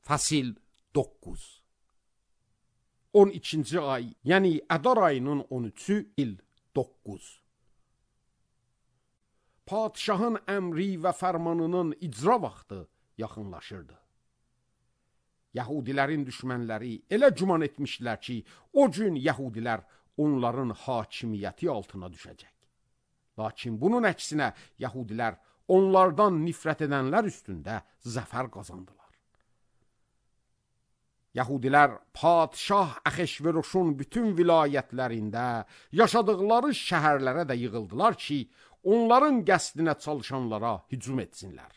Fəsil 9. 12-ci ay, yəni Ədar ayının 13-ü il 9. Padişahın əmri və fərmanının icra vaxtı yaxınlaşırdı. Yahudilərin düşmənləri elə güman etmişdilər ki, o gün Yahudilər onların hakimiyyəti altına düşəcək. Lakin bunun əksinə Yahudilər onlardan nifrət edənlər üstündə zəfər qazandılar. Yahudilər padişah Ahəşveroşun bütün vilayətlərində yaşadıkları şəhərlərə də yığıldılar ki, onların qəsdinə çalışanlara hücum etsinlər.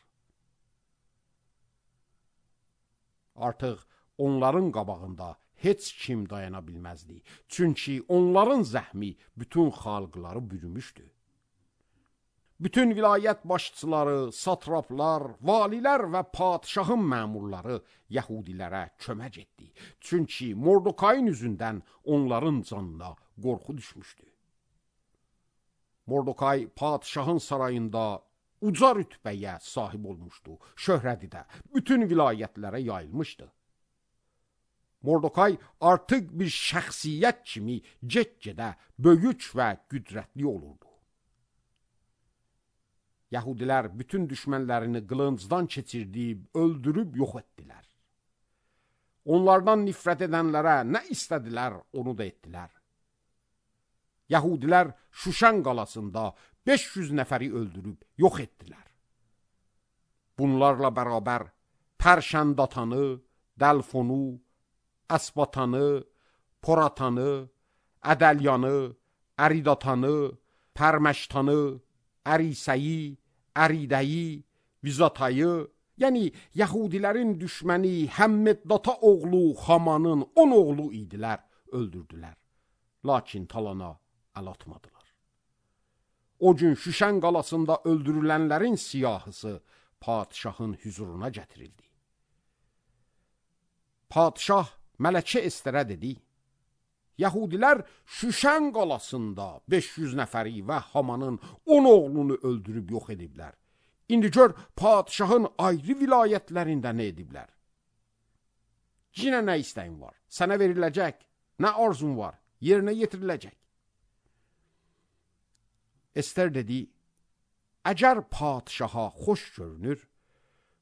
Artıq onların qabağında heç kim dayana bilməzdi. Çünki onların zəhmi bütün xalqları bürümüşdü. Bütün vilayət başçıları, satraplar, valilər və padişahın məmurları Yahudilərə kömək etdi. Çünki Mordokayın üzündən onların canına qorxu düşmüşdü. Mordokay padişahın sarayında uca rütbəyə sahib olmuşdu. Şöhrəti də bütün vilayətlərə yayılmışdı. Mordokay artıq bir şəxsiyyət kimi get-gedə böyük və qüdrətli olurdu. Yahudilər bütün düşmənlərini qılıncdan keçirdib, öldürüb yox etdilər. Onlardan nifrət edənlərə nə istədilər, onu da etdilər. Yahudilər Şuşan qalasında 500 nəfəri öldürüb yox etdilər. Bunlarla bərabər Pərşəndatanı, Dəlfonu, Əsbatanı, Poratanı, Ədəlyanı, Əridatanı, Pərməştanı, Ərisəyi, Əridəyi, Vizatayı, yəni Yahudilərin düşməni Həmmeddata oğlu Hamanın 10 oğlu idilər, öldürdülər. Lakin talana əl atmadılar. O gün Şüşən qalasında öldürülənlərin siyahısı padişahın hüzuruna gətirildi. Padişah Mələkə Esterə dedi, Yahudilər Şüşən qalasında 500 nəfəri və Hamanın 10 oğlunu öldürüb yox ediblər. İndi gör, padişahın ayrı vilayətlərində nə ediblər? Yenə nə istəyin var? Sənə veriləcək. Nə arzun var? Yerinə yetiriləcək. Ester dedi, əgər padişaha xoş görünür,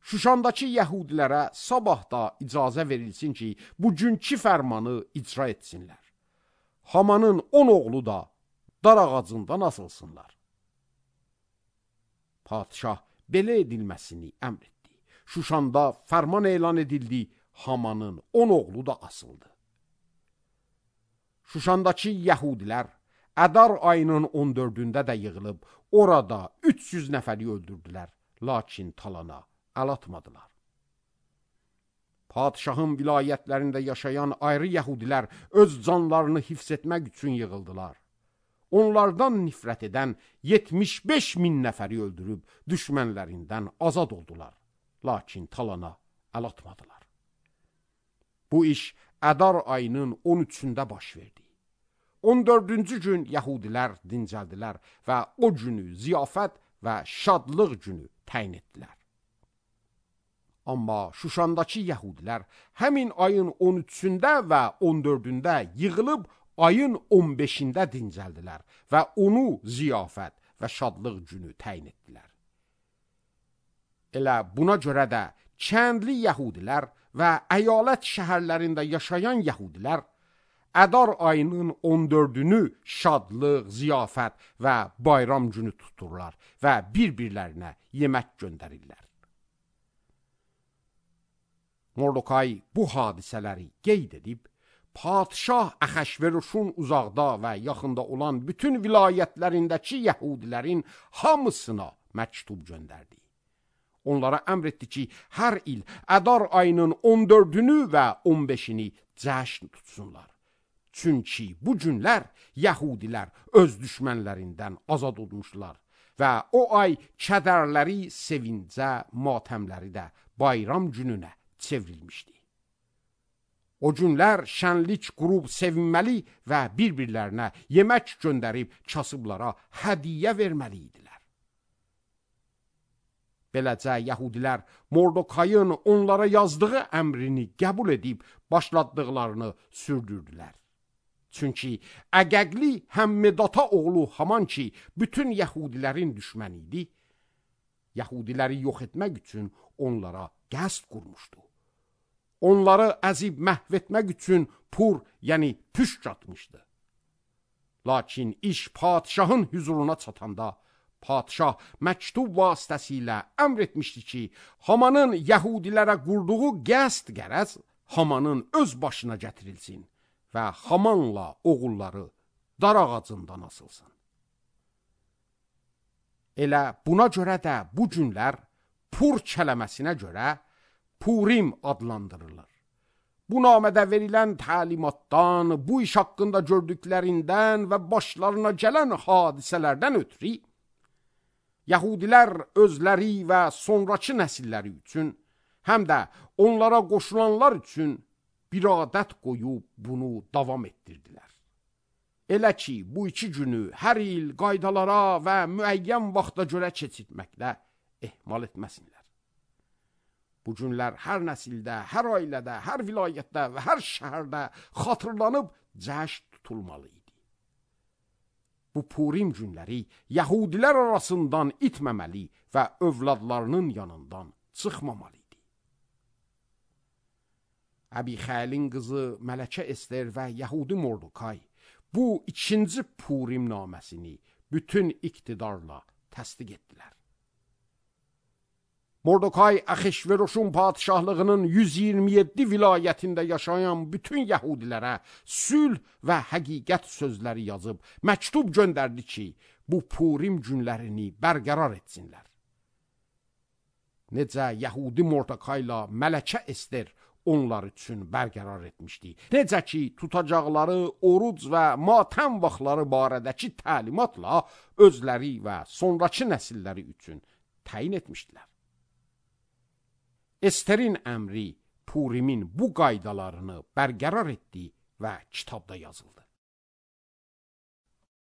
Şuşandakı Yahudilərə sabah da icazə verilsin ki, bugünkü fərmanı icra etsinlər. Hamanın 10 oğlu da dar ağacından asılsınlar. Padişah belə edilməsini əmr etdi. Şuşanda fərman elan edildi, Hamanın 10 oğlu da asıldı. Şuşandakı Yahudilər Ədar ayının 14-də də yığılıb, orada 300 nəfəri öldürdülər, lakin talana əl atmadılar. Padişahın vilayətlərində yaşayan ayrı Yahudilər öz canlarını hifz etmək üçün yığıldılar. Onlardan nifrət edən 75 min nəfəri öldürüb düşmənlərindən azad oldular. Lakin talana əl atmadılar. Bu iş Ədar ayının 13-də baş verdi. 14-cü gün Yahudilər dincəldilər və o günü ziyafət və şadlıq günü təyin etdilər. Amma Şuşandakı Yahudilər həmin ayın 13-də və 14-də yığılıb ayın 15-də dincəldilər və onu ziyafət və şadlıq günü təyin etdilər. Elə buna görə də kəndli Yahudilər və əyalət şəhərlərində yaşayan Yahudilər Ədar ayının 14-ünü şadlıq, ziyafət və bayram günü tuturlar və bir-birlərinə yemək göndərirlər. Mordokay bu hadisələri qeyd edib, padişah Ahəşveroşun uzaqda və yaxında olan bütün vilayətlərindəki Yahudilərin hamısına məktub göndərdi. Onlara əmr etdi ki, hər il Ədar ayının 14-ünü və 15-ini cəşn tutsunlar. Çünki bu günlər Yahudilər öz düşmənlərindən azad olmuşlar və o ay kədərləri sevincə, matəmləri də bayram gününə çevrilmişdi. O günlər şənlik qurub sevinməli və bir-birlərinə yemək göndərib kasıblara hədiyyə verməli idilər. Beləcə yəhudilər Mordokayın onlara yazdığı əmrini qəbul edib başladıqlarını sürdürdülər. Çünki Əqəqli Həmmedata oğlu Haman ki, bütün yəhudilərin düşməni idi, yəhudiləri yox etmək üçün onlara qəsd qurmuşdu. Onları əzib məhv etmək üçün pur, yəni püşk atmışdı. Lakin iş padişahın hüzuruna çatanda, padişah məktub vasitəsilə əmr etmişdi ki, Hamanın yəhudilərə qurduğu qəsd qərəz Hamanın öz başına gətirilsin və Hamanla oğulları dar ağacından asılsın. Elə buna görə də bu günlər pur kələməsinə görə Purim adlandırılır. Bu namədə verilən təlimatdan, bu iş haqqında gördüklərindən və başlarına gələn hadisələrdən ötürü, yəhudilər özləri və sonraki nəsilləri üçün, həm də onlara qoşulanlar üçün bir adət qoyub bunu davam etdirdilər. Elə ki, bu 2 günü hər il qaydalara və müəyyən vaxta görə keçirtməklə ehmal etməsinlər. Bu günlər hər nəsildə, hər ailədə, hər vilayətdə və hər şəhərdə xatırlanıb cəşn tutulmalı idi. Bu Purim günləri yəhudilər arasından itməməli və övladlarının yanından çıxmamalı idi. Əbixailin qızı Mələkə Ester və Yəhudi Mordokay bu 2-ci Purim naməsini bütün iqtidarla təsdiq etdilər. Mordokay Axeşveroşun padişahlığının 127 vilayətində yaşayan bütün yəhudilərə sülh və həqiqət sözləri yazıb məktub göndərdi ki, bu Purim günlərini bərqərar etsinlər. Necə Yəhudi Mordokayla Mələkə Ester onlar üçün bərqərar etmişdi. Necə ki, tutacaqları oruc və matəm vaxtları barədəki təlimatla özləri və sonraki nəsilləri üçün təyin etmişdilər. Esterin əmri Purimin bu qaydalarını bərqərar etdi və kitabda yazıldı.